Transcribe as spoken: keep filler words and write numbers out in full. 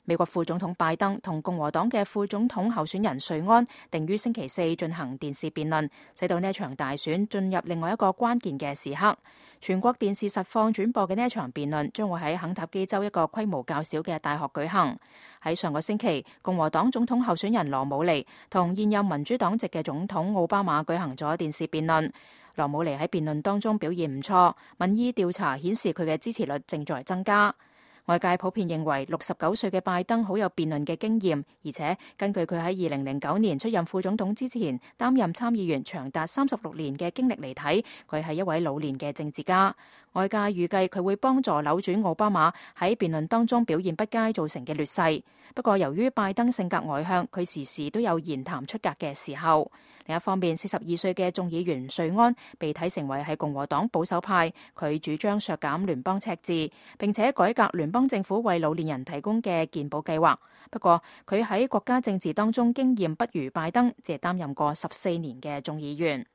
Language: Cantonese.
美國副總統拜登同共和黨嘅副總統候選人瑞安定於星期四進行電視辯論，使到呢一場大選進入另外一個關鍵嘅時刻。全國電視實況轉播嘅呢一場辯論將會喺肯塔基州一個規模較小嘅大學舉行。喺上個星期，共和黨總統候選人羅姆尼同現任民主黨籍嘅總統奧巴馬舉行咗電視辯論。羅姆尼喺辯論當中表現唔錯，民意調查顯示佢嘅支持率正在增加。外界普遍認為六十九歲嘅拜登好有辯論嘅經驗，而且根據佢喺二零零九年出任副總統之前擔任參議員長達三十六年嘅經歷嚟睇，佢係一位老練嘅政治家。外界預計佢會幫助扭轉奧巴馬喺辯論當中表現不佳造成嘅劣勢。不過由於拜登性格外向，佢時時都有言談出格嘅時候。另一方面，四十二歲嘅眾議員瑞安被睇成為係共和黨保守派，佢主張削減聯邦赤字，並且改革聯邦政府為老年人提供嘅健保計劃。不過佢喺國家政治當中經驗不如拜登，只係擔任過十四年嘅眾議員。